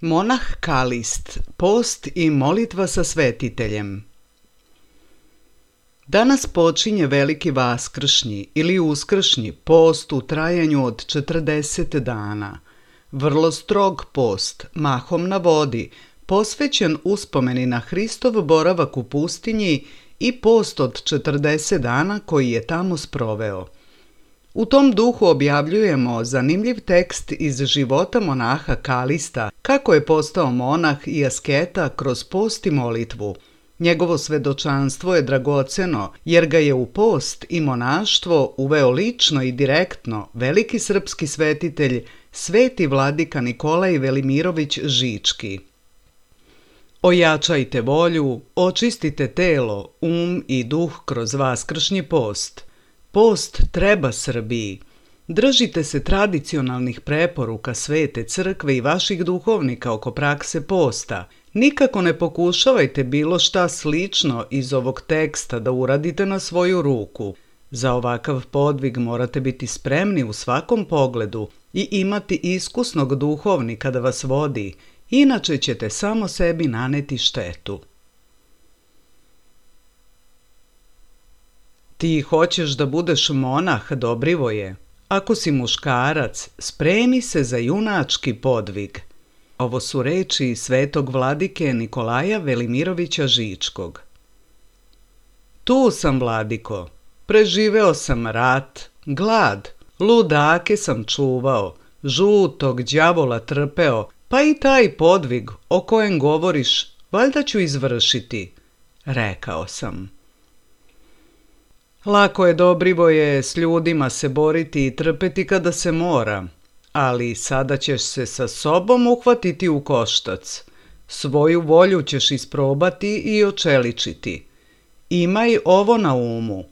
Monah Kalist, post i molitva sa svetiteljem. Danas počinje veliki vaskršnji ili uskršnji post u trajanju od 40 dana. Vrlo strog post, mahom na vodi, posvećen uspomeni na Hristov boravak u pustinji i post od 40 dana koji je tamo sproveo. U tom duhu objavljujemo zanimljiv tekst iz života monaha Kalista, kako je postao monah i asketa kroz post i molitvu. Njegovo svedočanstvo je dragoceno jer ga je u post i monaštvo uveo lično i direktno veliki srpski svetitelj, sveti vladika Nikolaj Velimirović Žički. Ojačajte volju, očistite telo, i duh kroz vaskršnji post. Post treba Srbiji. Držite se tradicionalnih preporuka Svete crkve i vaših duhovnika oko prakse posta. Nikako ne pokušavajte bilo šta slično iz ovog teksta da uradite na svoju ruku. Za ovakav podvig morate biti spremni u svakom pogledu i imati iskusnog duhovnika da vas vodi, inače ćete samo sebi naneti štetu. Ti hoćeš da budeš monah, Dobrivoje. Ako si muškarac, spremi se za junački podvig. Ovo su reči svetog vladike Nikolaja Velimirovića Žičkog. Tu sam, vladiko. Preživeo sam rat, glad, ludake sam čuvao, žutog đavola trpeo, pa i taj podvig o kojem govoriš, valjda ću izvršiti, rekao sam. Lako je, Dobrivoje, s ljudima se boriti i trpeti kada se mora, ali sada ćeš se sa sobom uhvatiti u koštac. Svoju volju ćeš isprobati i očeličiti. Imaj ovo na umu.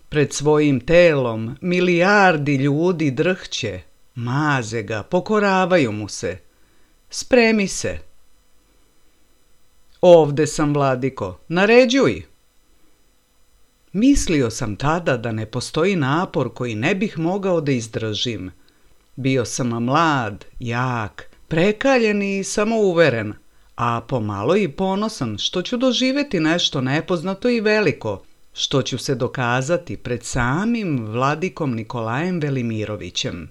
Pred svojim telom milijardi ljudi drhće, maze ga, pokoravaju mu se. Spremi se. Ovde sam, vladiko, naređuj. Mislio sam tada da ne postoji napor koji ne bih mogao da izdržim. Bio sam mlad, jak, prekaljen i samouveren, a pomalo i ponosan što ću doživjeti nešto nepoznato i veliko, što ću se dokazati pred samim vladikom Nikolajem Velimirovićem.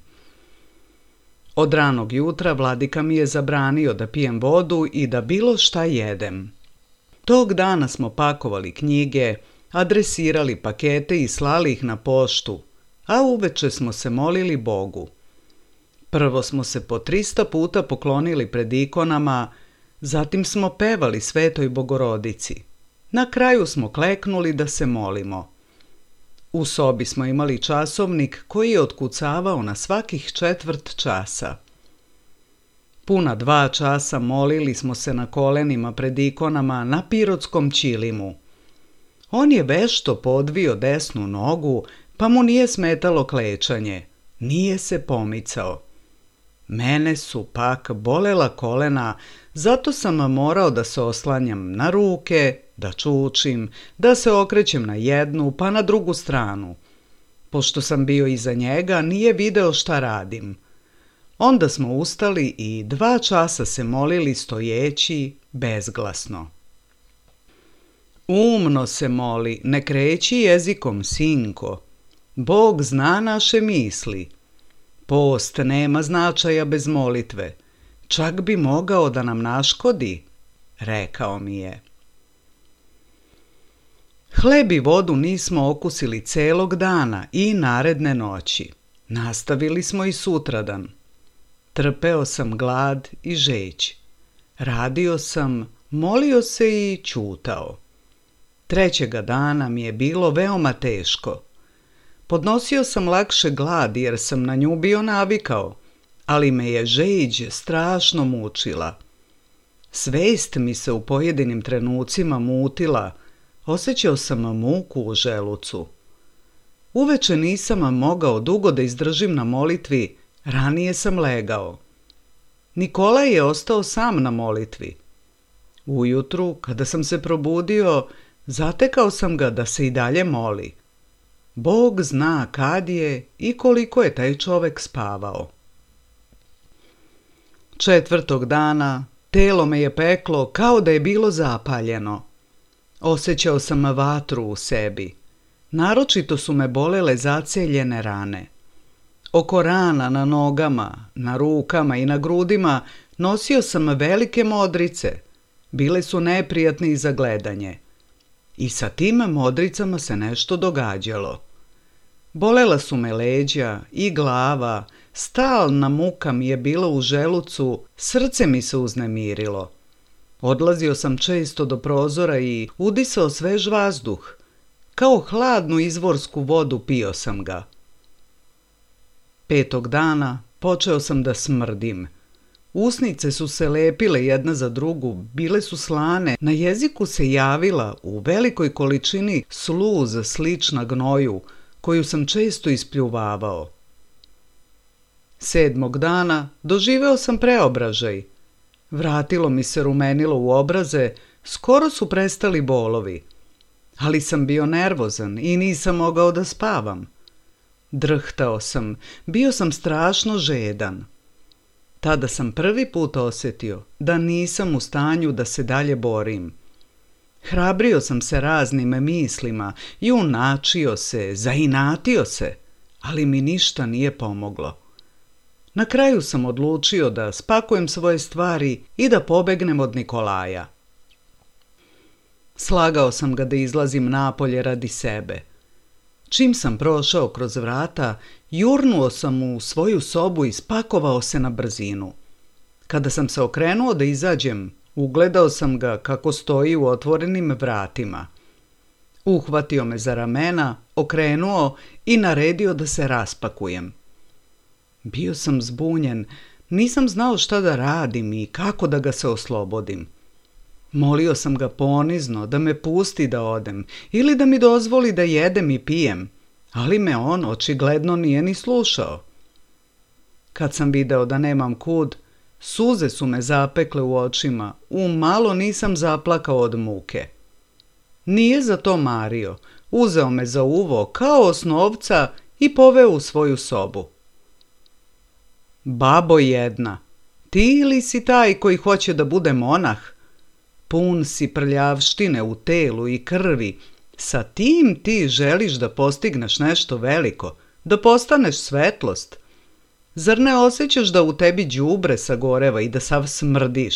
Od ranog jutra vladika mi je zabranio da pijem vodu i da bilo šta jedem. Tog dana smo pakovali knjige, adresirali pakete i slali ih na poštu, a uveče smo se molili Bogu. Prvo smo se po 300 puta poklonili pred ikonama, zatim smo pevali Svetoj Bogorodici. Na kraju smo kleknuli da se molimo. U sobi smo imali časovnik koji je otkucavao na svakih 1/4 časa. Puna 2 časa molili smo se na kolenima pred ikonama na Pirotskom ćilimu. On je vešto podvio desnu nogu, pa mu nije smetalo klečanje, nije se pomicao. Mene su pak bolela kolena, zato sam morao da se oslanjam na ruke, da čučim, da se okrećem na jednu pa na drugu stranu. Pošto sam bio iza njega, nije video šta radim. Onda smo ustali i 2 časa se molili stojeći, bezglasno. Umno se moli, ne kreći jezikom, sinko. Bog zna naše misli. Post nema značaja bez molitve. Čak bi mogao da nam naškodi, rekao mi je. Hleb i vodu nismo okusili celog dana i naredne noći. Nastavili smo i sutradan. Trpeo sam glad i žeđ. Radio sam, molio se i ćutao. 3. dana mi je bilo veoma teško. Podnosio sam lakše glad jer sam na nju bio navikao, ali me je žeđ strašno mučila. Svest mi se u pojedinim trenucima mutila, osjećao sam muku u želucu. Uveče nisam mogao dugo da izdržim na molitvi, ranije sam legao. Nikolaj je ostao sam na molitvi. Ujutru, kada sam se probudio, zatekao sam ga da se i dalje moli. Bog zna kad je i koliko je taj čovek spavao. 4. dana telo me je peklo kao da je bilo zapaljeno. Osjećao sam vatru u sebi. Naročito su me bolele zaceljene rane. Oko rana na nogama, na rukama i na grudima nosio sam velike modrice. Bile su neprijatne za gledanje. I sa tim modricama se nešto događalo. Bolela su me leđa i glava, stalna muka mi je bila u želucu, srce mi se uznemirilo. Odlazio sam često do prozora i udisao svež vazduh. Kao hladnu izvorsku vodu pio sam ga. 5. dana počeo sam da smrdim. Usnice su se lepile jedna za drugu, bile su slane, na jeziku se javila u velikoj količini sluz slična gnoju, koju sam često ispljuvavao. 7. dana doživeo sam preobražaj. Vratilo mi se rumenilo u obraze, skoro su prestali bolovi. ali sam bio nervozan i nisam mogao da spavam. Drhtao sam, bio sam strašno žedan. Tada sam prvi put osjetio da nisam u stanju da se dalje borim. Hrabrio sam se raznim mislima, junačio se, zainatio se, ali mi ništa nije pomoglo. Na kraju sam odlučio da spakujem svoje stvari i da pobegnem od Nikolaja. Slagao sam ga da izlazim napolje radi sebe. Čim sam prošao kroz vrata, jurnuo sam u svoju sobu i spakovao se na brzinu. Kada sam se okrenuo da izađem, ugledao sam ga kako stoji u otvorenim vratima. Uhvatio me za ramena, okrenuo i naredio da se raspakujem. Bio sam zbunjen, nisam znao šta da radim i kako da ga se oslobodim. Molio sam ga ponizno da me pusti da odem ili da mi dozvoli da jedem i pijem, ali me on očigledno nije ni slušao. Kad sam video da nemam kud, suze su me zapekle u očima, umalo nisam zaplakao od muke. Nije za to mario, uzeo me za uvo kao osnovca i poveo u svoju sobu. Babo jedna, ti ili si taj koji hoće da bude monah? Pun si prljavštine u telu i krvi, sa tim ti želiš da postigneš nešto veliko, da postaneš svetlost. Zar ne osjećaš da u tebi đubre sagoreva i da sav smrdiš?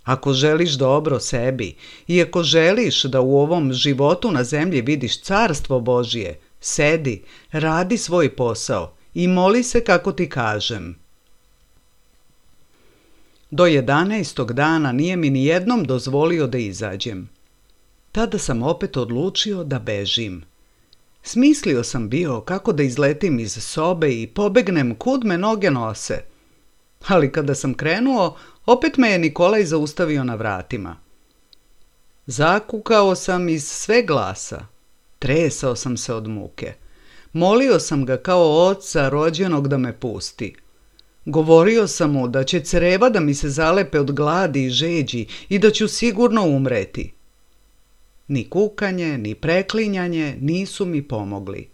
Ako želiš dobro sebi i ako želiš da u ovom životu na zemlji vidiš carstvo Božije, sedi, radi svoj posao i moli se kako ti kažem. Do 11. dana nije mi ni jednom dozvolio da izađem. Tada sam opet odlučio da bežim. Smislio sam bio kako da izletim iz sobe i pobegnem kud me noge nose. Ali kada sam krenuo, opet me je Nikolaj zaustavio na vratima. Zakukao sam iz sve glasa. Tresao sam se od muke. Molio sam ga kao oca rođenog da me pusti. Govorio sam mu da će creva da mi se zalepe od gladi i žeđi i da ću sigurno umreti. Ni kukanje, ni preklinjanje nisu mi pomogli.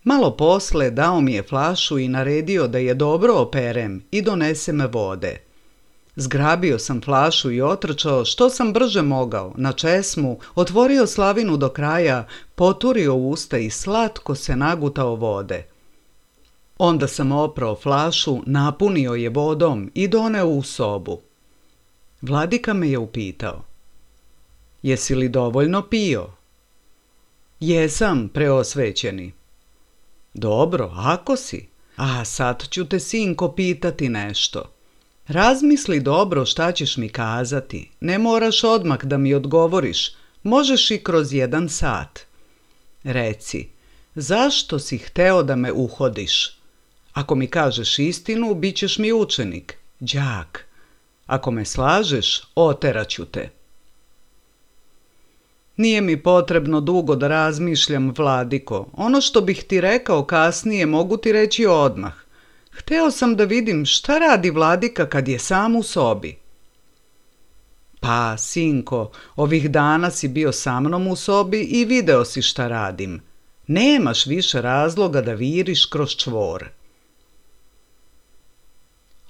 Malo posle dao mi je flašu i naredio da je dobro operem i donesem vode. Zgrabio sam flašu i otrčao što sam brže mogao, na česmu, otvorio slavinu do kraja, poturio usta i slatko se nagutao vode. Onda sam oprao flašu, napunio je vodom i doneo u sobu. Vladika me je upitao: Jesi li dovoljno pio? Jesam, preosvećeni. Dobro, ako si. A sad ću te, sinko, pitati nešto. Razmisli dobro šta ćeš mi kazati. Ne moraš odmah da mi odgovoriš. Možeš i kroz 1 sat. Reci, zašto si hteo da me uhodiš? Ako mi kažeš istinu, bit ćeš mi učenik, đak. Ako me slažeš, oteraću te. Nije mi potrebno dugo da razmišljam, vladiko. Ono što bih ti rekao kasnije mogu ti reći odmah. Hteo sam da vidim šta radi vladika kad je sam u sobi. Pa, sinko, ovih dana si bio sa mnom u sobi i video si šta radim. Nemaš više razloga da viriš kroz čvor.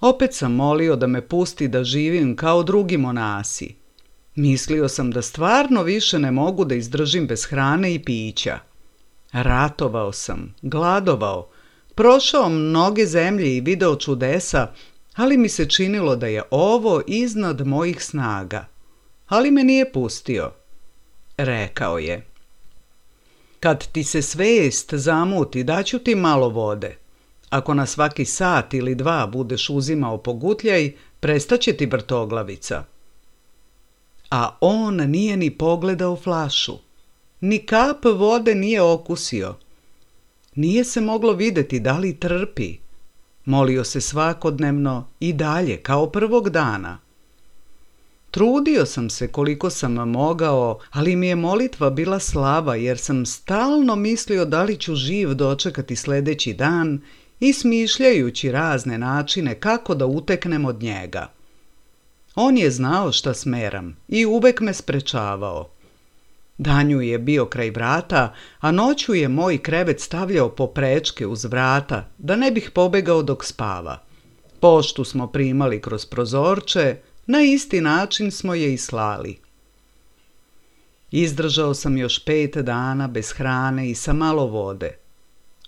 Opet sam molio da me pusti da živim kao drugi monasi. Mislio sam da stvarno više ne mogu da izdržim bez hrane i pića. Ratovao sam, gladovao, prošao mnoge zemlje i video čudesa, ali mi se činilo da je ovo iznad mojih snaga. Ali me nije pustio. Rekao je: Kad ti se svest zamuti, daću ti malo vode. Ako na svaki sat ili 2 budeš uzimao pogutljaj, prestaće ti vrtoglavica. A on nije ni pogledao flašu. Ni kap vode nije okusio. Nije se moglo vidjeti da li trpi. Molio se svakodnevno i dalje, kao prvog dana. Trudio sam se koliko sam mogao, ali mi je molitva bila slaba jer sam stalno mislio da li ću živ dočekati sljedeći dan i smišljajući razne načine kako da uteknem od njega. On je znao šta smeram i uvek me sprečavao. Danju je bio kraj vrata, a noću je moj krevet stavljao poprečke uz vrata, da ne bih pobegao dok spava. Poštu smo primali kroz prozorče, na isti način smo je i slali. Izdržao sam još 5 dana bez hrane i sa malo vode.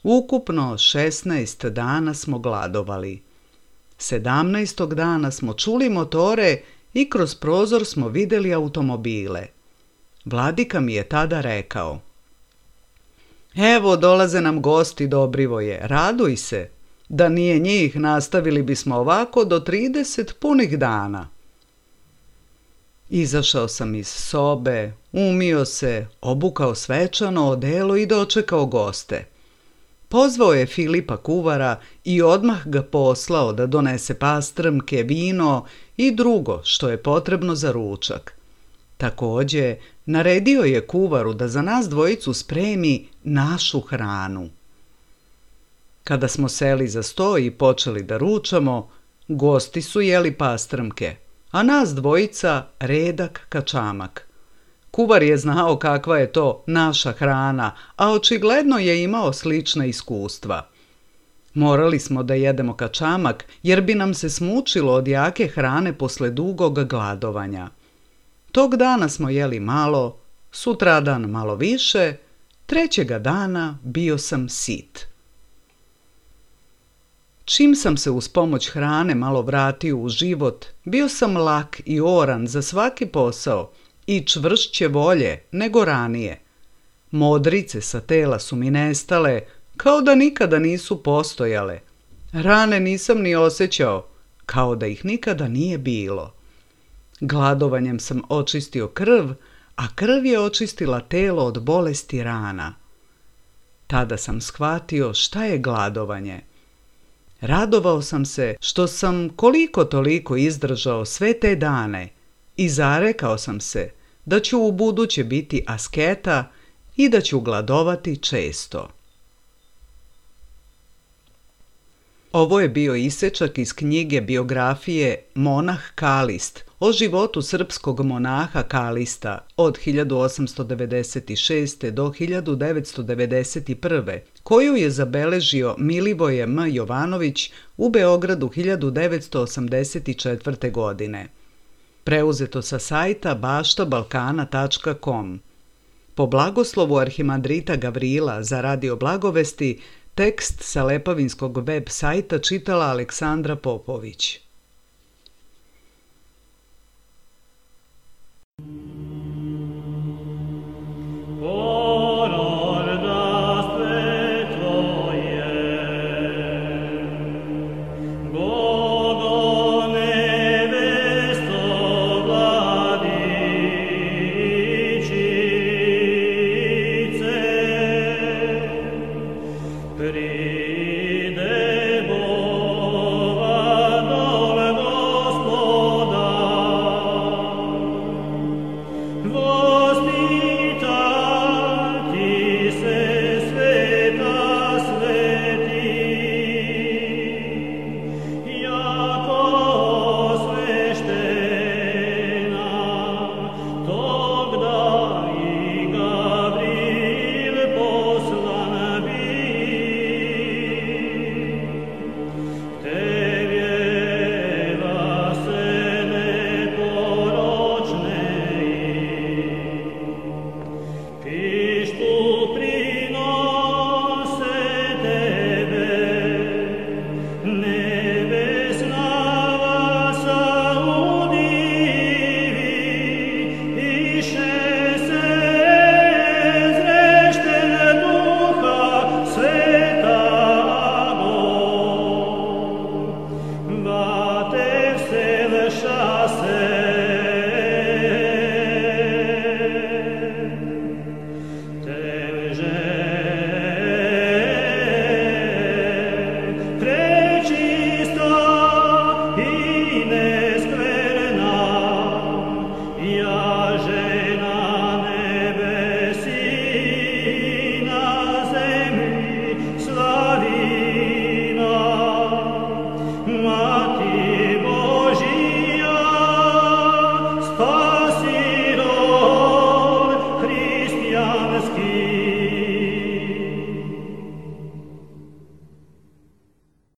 Ukupno 16 dana smo gladovali. 17. dana smo čuli motore i kroz prozor smo vidjeli automobile. Vladika mi je tada rekao: "Evo, dolaze nam gosti, Dobrivoje, raduj se. Da nije njih, nastavili bismo ovako do 30 punih dana." Izašao sam iz sobe, umio se, obukao svečano odelo i dočekao goste. Pozvao je Filipa kuvara i odmah ga poslao da donese pastrmke, vino i drugo što je potrebno za ručak. Također, naredio je kuvaru da za nas dvojicu spremi našu hranu. Kada smo seli za sto i počeli da ručamo, gosti su jeli pastrmke, a nas dvojica redak kačamak. Kuvar je znao kakva je to naša hrana, a očigledno je imao slična iskustva. Morali smo da jedemo kačamak jer bi nam se smučilo od jake hrane posle dugog gladovanja. Tog dana smo jeli malo, sutradan malo više, trećega dana bio sam sit. Čim sam se uz pomoć hrane malo vratio u život, bio sam lak i oran za svaki posao i čvršće volje nego ranije. Modrice sa tela su mi nestale, kao da nikada nisu postojale. Rane nisam ni osjećao, kao da ih nikada nije bilo. Gladovanjem sam očistio krv, a krv je očistila telo od bolesti rana. Tada sam shvatio šta je gladovanje. Radovao sam se što sam koliko toliko izdržao sve te dane i zarekao sam se da ću ubuduće biti asketa i da ću gladovati često. Ovo je bio isečak iz knjige biografije Monah Kalist o životu srpskog monaha Kalista od 1896. do 1991. koju je zabeležio Milivoje M. Jovanović u Beogradu 1984. godine. Preuzeto sa sajta baštabalkana.com. Po blagoslovu arhimandrita Gavrila za Radio Blagovesti, tekst sa Lepavinskog web sajta čitala Aleksandra Popović.